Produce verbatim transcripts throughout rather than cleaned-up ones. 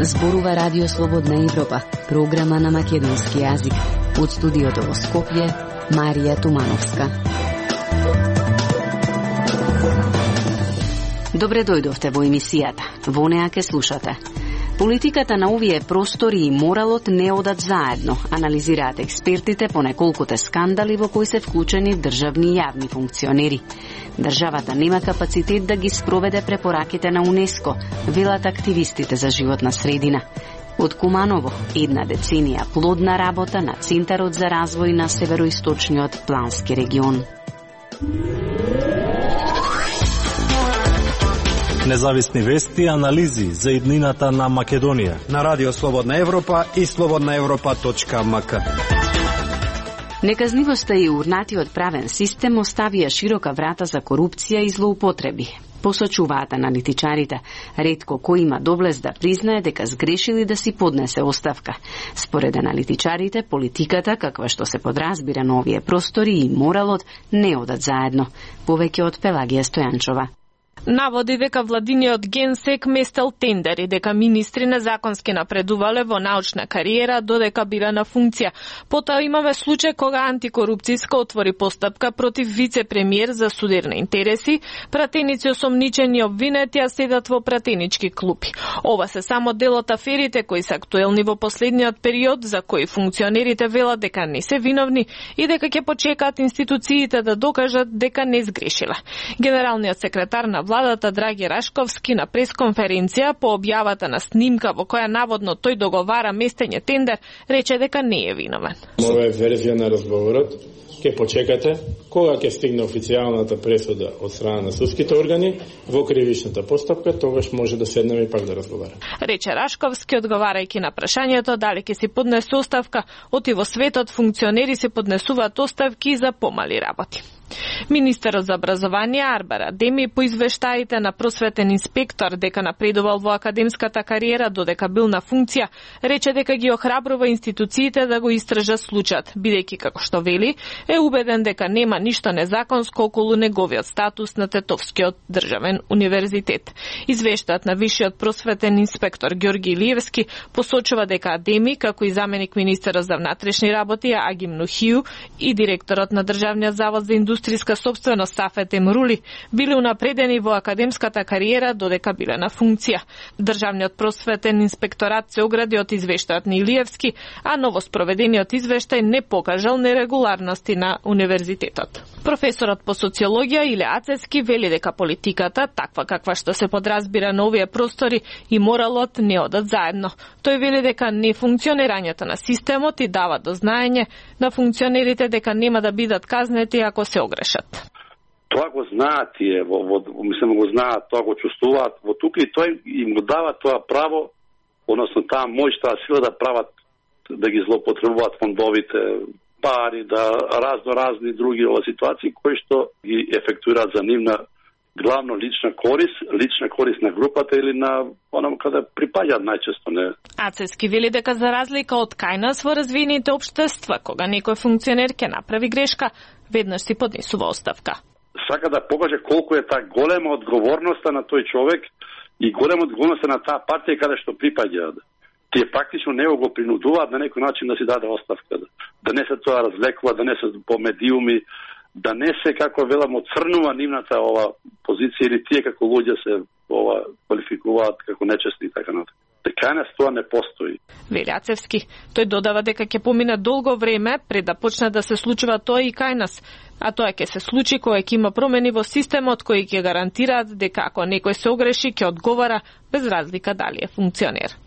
Зборува Радио Слободна Европа, програма на македонски јазик. Од студиото во Скопје, Марија Тумановска. Добре дојдовте во емисијата. Во неа ке слушате. Политиката на овие простори и моралот не одат заедно, анализираат експертите по неколкуте скандали во кои се вклучени државни и јавни функционери. Државата нема капацитет да ги спроведе препораките на УНЕСКО, велат активистите за животна средина. Од Куманово, една деценија плодна работа на Центарот за развој на североисточниот плански регион. Независни вести и анализи за иднината на Македонија на Радио Слободна Европа и слободна европа точка ем ка. Неказнивоста и урнатиот правен систем оставија широка врата за корупција и злоупотреби. Посочуваат аналитичарите, ретко кој има доблест да признае дека сгрешили да си поднесе оставка. Според аналитичарите, политиката, каква што се подразбира на овие простори и моралот, не одат заедно. Повеќе од Пелагија Стојанчова. Наводи дека владиниот генсек местел тендери, дека министри незаконски напредувале во научна кариера додека била на функција. Потоа имаме случај кога антикорупцијска отвори постапка против вице-премиер за судирни интереси, пратеници осомничени обвинети а седат во пратенички клупи. Ова се само дел од аферите кои се актуелни во последниот период, за кои функционерите велат дека не се виновни и дека ќе почекаат институциите да докажат дека не сгрешила. Генералниот секретар на владата Драги Рашковски на пресконференција по објавата на снимка во која наводно тој договара местење тендер, рече дека не е виновен. Ова е верзија на разговорот. Ке почекате кога ќе стигне официјалната пресуда од страна на судските органи во кривичната постапка, тогаш може да седнеме и пак да разговараме. Рече Рашковски, одговарајќи на прашањето дали ќе си поднесе оставка, оти во светот функционери се поднесуваат оставки за помали работи. Министерот за образование Арбер Адеми по извештаите на просветен инспектор дека напредувал во академската кариера додека бил на функција, рече дека ги охрабрува институциите да го истражат случајот, бидејќи како што вели, е убеден дека нема ништо незаконско околу неговиот статус на Тетовскиот државен универзитет. Извештајот на висшиот просветен инспектор Ѓорги Илиевски посочува дека Адеми, како и заменик министерот за внатрешни работи Агим Нухију и директорот на Државниот завод за индустријска собственост Сафет Емрули биле унапредени во академската кариера додека биле на функција. Државниот просветен инспекторат се огради од извештајот на Илиевски, а новоспроведениот извештај не покажал нерегуларности на универзитетот. Професорот по социологија Иле Ацески вели дека политиката, таква каква што се подразбира на овие простори, и моралот не одат заедно. Тој вели дека нефункционирањето на системот и дава до знаење на функционерите дека нема да бидат казнети ако се огрешат. Тоа го знаат тие, во, во, мислам го знаат, тоа го чувствуваат во тука и тој им го дава тоа право, односно таа моќ, таа сила да прават, да ги злоупотребуваат фондовите, пари, да разно разни други ова ситуации кои што ги ефектуираат за нивна главно лична корист, лична корист на групата или на оном каде припаѓаат најчесто, не. Ацески вели дека за разлика од кај нас во развиените општества, кога некој функционер ќе направи грешка, веднаш си поднесува оставка. Сака да покаже колку е таа голема одговорноста на тој човек и голема одговорноста на таа партија каде што припаѓаат. Тие практично него го принудуваат на некој начин да си даде оставка, да не се тоа развлекува, да не се по медиуми, да не се, како велам, оцрнува нивната ова позиција или тие како луѓе се ова квалификуваат како нечестни и така натаму. Дека нас тоа не постои. Вели Ацевски, тој додава дека ќе помине долго време пред да почне да се случува тоа и кај нас, а тоа ќе се случи кога ќе има промени во системот кои ќе гарантираат дека ако некој се огреши ќе одговара без разлика дали е функционер.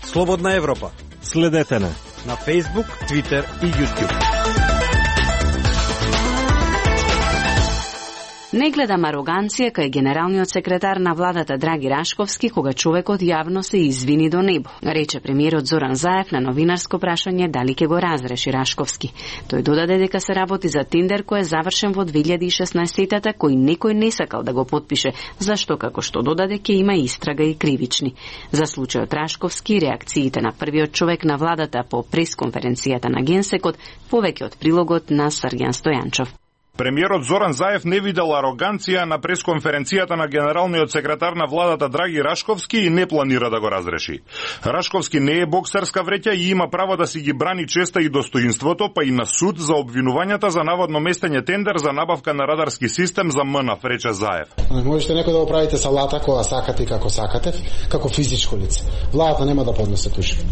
Слободна Европа. Следете на на Facebook, Twitter и YouTube. Не гледам ароганција кај генералниот секретар на владата Драги Рашковски кога човекот јавно се извини до небо, рече премиерот Зоран Заев на новинарско прашање дали ќе го разреши Рашковски. Тој додаде дека се работи за тендер кој е завршен во две илјади и шеснаесетта кој некој не сакал да го потпише, зашто како што додаде ќе има истрага и кривични. За случајот Рашковски реакциите на првиот човек на владата по пресконференцијата на Генсекот, повеќе од прилогот на Срѓан Стојанчов. Премиерот Зоран Заев не видел ароганција на пресконференцијата на генералниот секретар на владата Драги Рашковски и не планира да го разреши. Рашковски не е боксерска вреќа и има право да си ги брани честа и достоинството, па и на суд за обвинувањата за наводно местење тендер за набавка на радарски систем за МНАФ, рече Заев. Можете некој да го правите салата кога сакате и како сакате, како физичко лице. Владата нема да поднесе тужба.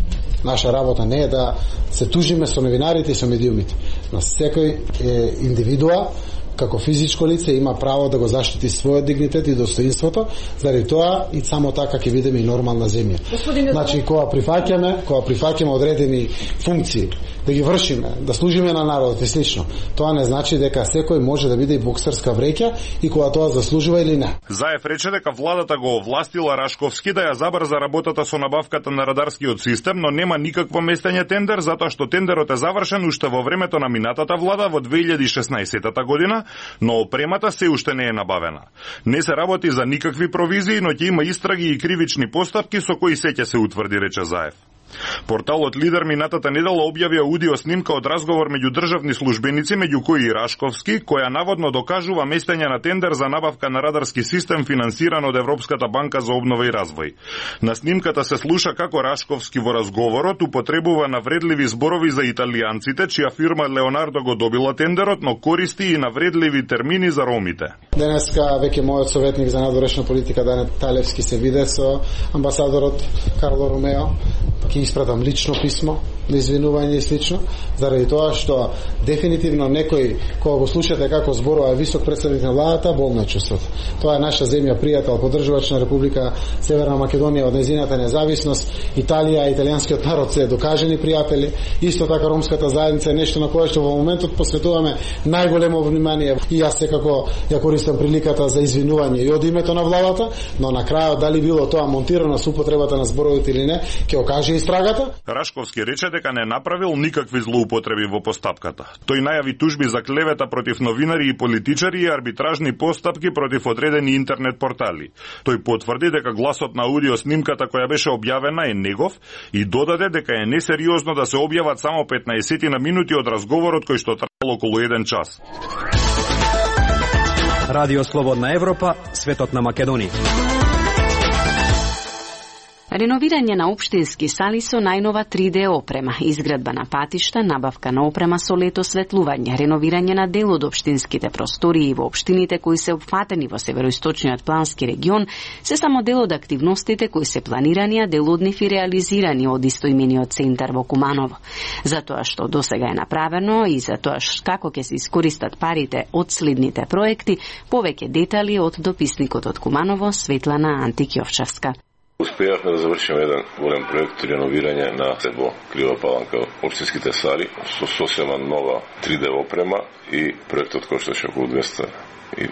Наша работа не е да се тужиме со новинарите и со медиумите. На секој е индивидуа како физичко лице има право да го заштити својот дигнитет и достоинството, заради тоа и само така ќе видиме и нормална земја. Значи, кога прифаќаме, кога прифаќаме одредени функции, да ги вршиме, да служиме на народот и слично, тоа не значи дека секој може да биде и боксерска вреќа и кога тоа заслужува или не. Заев рече дека владата го овластила Рашковски да ја забрза работата со набавката на радарскиот систем, но нема никакво местење тендер, затоа што тендерот е завршен уште во времето на минатата влада во две илјади и шеснаесетта година, но опремата се уште не е набавена. Не се работи за никакви провизии, но ќе има истраги и кривични постапки со кои се ќе се утврди, рече Заев. Порталот Лидер минатата недела објави аудио снимка од разговор меѓу државни службеници, меѓу кои и Рашковски, која наводно докажува местење на тендер за набавка на радарски систем финансиран од Европската банка за обнова и развој. На снимката се слуша како Рашковски во разговорот употребува навредливи зборови за италијанците, чија фирма Леонардо го добила тендерот, но користи и навредливи термини за ромите. Денеска веќе мојот советник за надворешна политика Дане Талевски се виде со амбасадорот Карло Ромео. Ќе испратам лично писмо на извинување и слично, заради тоа што дефинитивно некој кога го слушате како зборува висок представник на владата, болно е чувството. Тоа е наша земја, пријател, поддржувач на Република Северна Македонија од нејзината независност. Италија, италијанскиот народ се докажени пријатели, исто така ромската заедница е нешто на кое што во моментот посветуваме најголемо внимание. И јас секако ја користам приликата за извинување и од името на владата, но на крајот дали било тоа монтирано со употребата на зборовите или не, ќе окаже истрагата. Рашковски рече дека не направил никакви злоупотреби во постапката. Тој најави тужби за клевета против новинари и политичари и арбитражни постапки против одредени интернет портали. Тој потврди дека гласот на аудио снимката која беше објавена е негов и додаде дека е несериозно да се објават само петнаесет на минути од разговорот кој што траел околу еден час. Радио Слободна Европа, светот на Македонија. Реновирање на општински сали со најнова три де опрема, изградба на патишта, набавка на опрема со летосветлување, реновирање на дел од општинските простории во општините кои се опфатени во североисточниот плански регион, се само дел од активностите кои се планирани, а дел од нив и реализирани од истоимениот центар во Куманово. За тоа што досега е направено и за тоа како ќе се искористат парите од следните проекти, повеќе детали од дописникот од Куманово, Светлана Антикјовчевска. Успеавме да завршиме еден голем проект реновирање на во Крива Паланка општинските сали со сосема нова три де опрема и проектот кошташе околу двесте и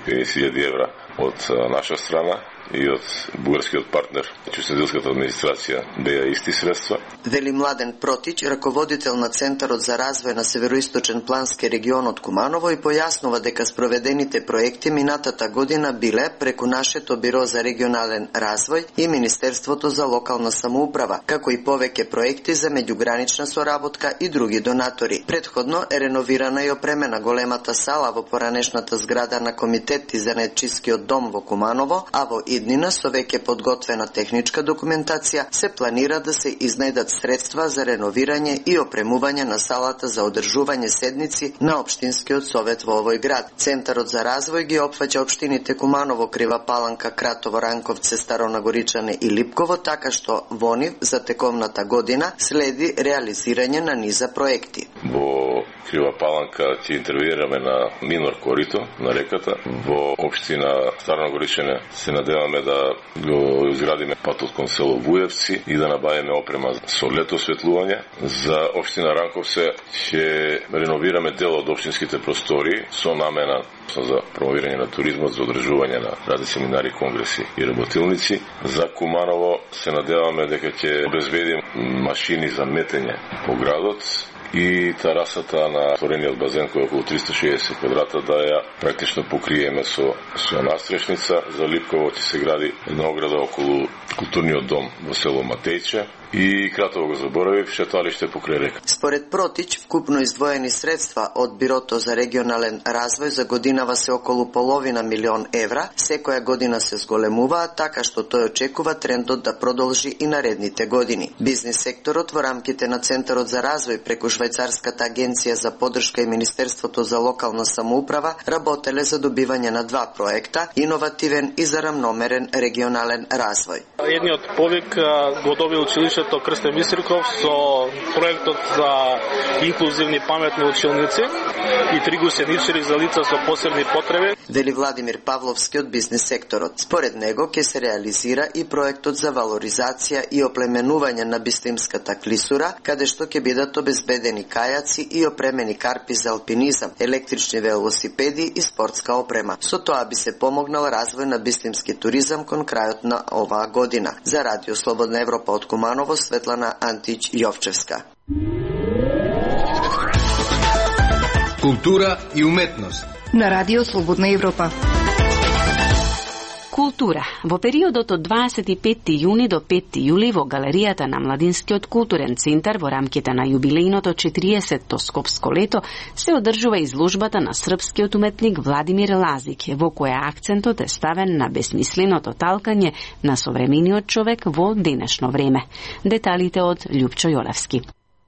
педесет илјади евра од наша страна и од бугарскиот партнер, Учредителската администрација, беа исти средства. Вели Младен Протич, раководител на Центарот за развој на Североисточен плански регион од Куманово, и појаснува дека спроведените проекти минатата година биле преку нашето Биро за регионален развој и Министерството за локална самоуправа, како и повеќе проекти за меѓугранична соработка и други донатори. Претходно е реновирана и опремена големата сала во поранешната зграда на Комитет за занаетчискиот дом во Куманово, а во иднина со веќе подготвена техничка документација се планира да се изнајдат средства за реновирање и опремување на салата за одржување седници на општинскиот совет во овој град. Центарот за развој ги опфаќа општините Куманово, Крива Паланка, Кратово, Ранковце, Старонагоричане и Липково, така што во нив за текомната година следи реализирање на низа проекти. Во Крива Паланка ќе интервенираме на минор корито на реката. Во општина Старонагоричане се надеваме да го изградиме патот кон село Вуевци и да набавиме опрема со летосветлување. За општина Ранковце ќе реновираме дел од општинските простори со намена за промовирање на туризмот, за одржување на разни семинари, конгреси и работилници. За Куманово се надеваме дека ќе обезбедим машини за метење по градот и терасата на отворениот базен кој е околу триста и шеесет квадрата да ја практично покриеме со, со настрешница. За Липково ќе се гради една ограда околу културниот дом во село Матејче и кратко го заборавив, шеталиште покрај река. Според Протич, вкупно издвоени средства од Бирото за регионален развој за годинава се околу половина милион евра, секоја година се зголемуваат, така што тој очекува трендот да продолжи и наредните години. Бизнис секторот во рамките на Центарот за развој преку Швајцарската агенција за поддршка и Министерството за локална самоуправа работеле за добивање на два проекта, иновативен и за рамномерен регионален развој. Едниот повик го доби училиштето Крстен Бистриков со проектот за инклузивни паметни училници и три гусеничари за лица со посебни потреби. Вели Владимир Павловски од бизнис секторот. Според него ќе се реализира и проектот за валоризација и оплеменување на Бистримската клисура, каде што ќе бидат обезбедени кајаци и опремени карпи за алпинизам, електрични велосипеди и спортска опрема. Со тоа би се помогнал развој на бистримски туризам кон крајот на оваа година. За Радио Слободна Европа од Куманово, Светлана Антич Јовчевска. Култура и уметност на Радио Слободна Европа. Култура. Во периодот од дваесет и петти јуни до петти јули во галеријата на Младинскиот културен центар во рамките на јубилејното четириесетто Скопско лето се одржува изложбата на српскиот уметник Владимир Лазик, во која акцентот е ставен на бесмисленото талкање на современиот човек во денешно време. Деталите од Љупчо Јолевски.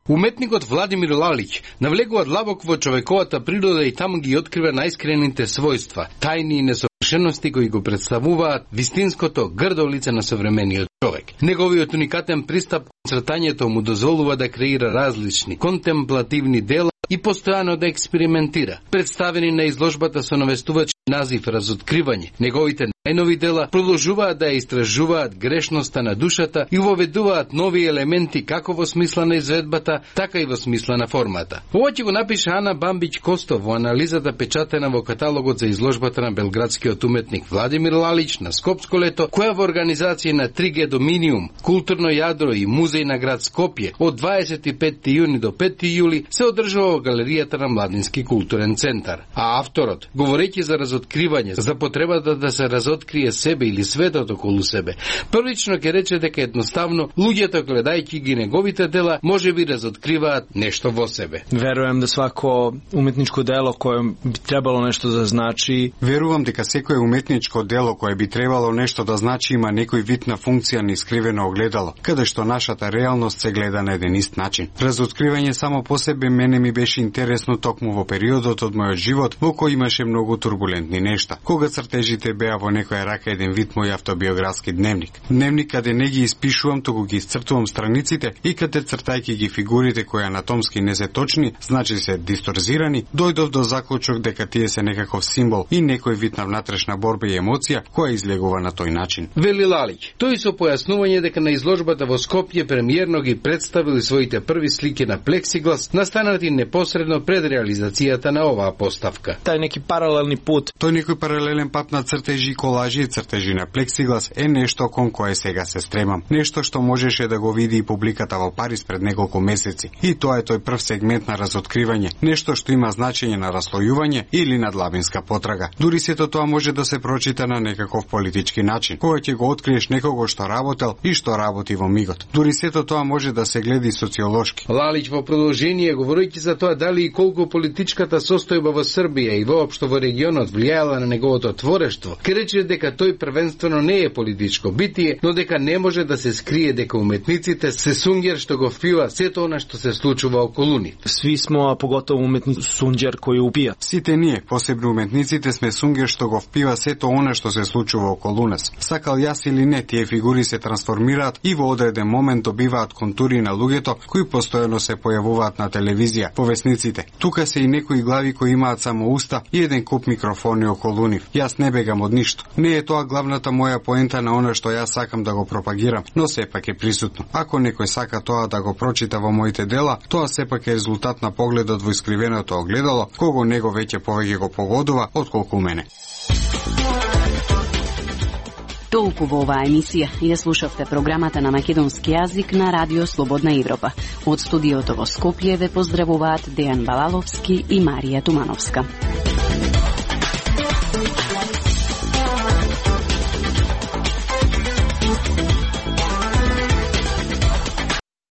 Уметникот Владимир Лалич навлегува длабоко во човековата природа и таму ги открива најискрените својства, тајни и несовршености кои го представуваат вистинското грдо лице на современиот човек. Неговиот уникатен пристап кон цртањето му дозволува да креира различни контемплативни дела и постојано да експериментира. Представени на изложбата со навестувач назив Разоткривање, неговите најнови дела продолжуваат да истражуваат грешноста на душата и воведуваат нови елементи како во смисла на изведбата, така и во смисла на формата. Ова ќе го напише Ана Бамбич Костов во анализата печатена во каталогот за изложбата на белградскиот уметник Владимир Лалич на Скопско лето, која во организација на три Г Доминиум, Културно јадро и Музеј на град Скопје од дваесет и петти јуни до петти јули се одржува во галеријата на Младински културен центар. А авторот, говорејќи за разоткривање, за потребата да се разоткрие себе или светот околу себе, првично ќе рече дека едноставно луѓето гледајќи ги неговите дела можеби разоткриваат нешто во себе. Верувам да свако уметничко дело кое би требало нешто да значи. Верувам дека секое уметничко дело кое би требало нешто да значи има некој вид на функција на искривено огледало, каде што нашата реалност се гледа на еден ист начин. Разоткривање само по себе мене ми беше интересно токму во периодот од мојот живот во кој имаше многу турбулентни нешта. Кога цртежите беа во некоја рака еден вид мој автобиографски дневник. Дневник каде не ги испишувам, туку ги исцртувам страниците и каде цртајќи ги фигурите кои анатомски не се точни, значи се дисторзирани, дојдов до заклучок дека тие се некаков символ и некој вид на внатрешна борба и емоција која излегува на тој начин. Вели Лалич, тој со појаснување дека на изложбата во Скопје премиерно ги представили своите први слики на плексиглас, настанати непосредно пред реализацијата на оваа поставка. Тај неки паралелни пат. Тој некој паралелен пат на цртежи, колажи и цртежи на плексиглас е нешто кон кое сега се стремам. Нешто што можеше да го види и публиката во Париз пред неколку месеци. И тоа е тој прв сегмент на разоткривање, нешто што има значење на раслојување или на длабинска потрага. Дури сето тоа може да се прочита на некаков политички начин, кога ќе го откриеш некого што работел и што работи во мигот. Дури сето тоа може да се гледа и социолошки. Лалич во продолжение, говорејќи за тоа дали и колку политичката состојба во Србија и воопшто во регионот влијаела на неговото творештво, ке рече дека тој првенствено не е политичко битие, но дека не може да се скрие дека уметниците се сунгер што го впива сето она што се случува околу нив. Сви смо, а поготово уметници сунгер кои упија. Сите ние, посебно уметниците, сме сунгер што го впива сето она што се случува околу нас. Сакал јас или не, тие фигури се трансформираат и во одреден момент добиваат контури на луѓето кои постојано се појавуваат на телевизија, по весниците. Тука се и некои глави кои имаат само уста и еден куп микрофони околу нив. Јас не бегам од ништо. Не е тоа главната моја поента на она што јас сакам да го пропагирам, но сепак е присутно. Ако некој сака тоа да го прочита во моите дела, тоа сепак е резултат на погледот во искривеното огледало, кого него веќе повеќе го погодува отколку мене. Толку во оваа емисија. Ја слушавте програмата на македонски јазик на Радио Слободна Европа. Од студиото во Скопје ве поздравуваат Дејан Балаловски и Марија Тумановска.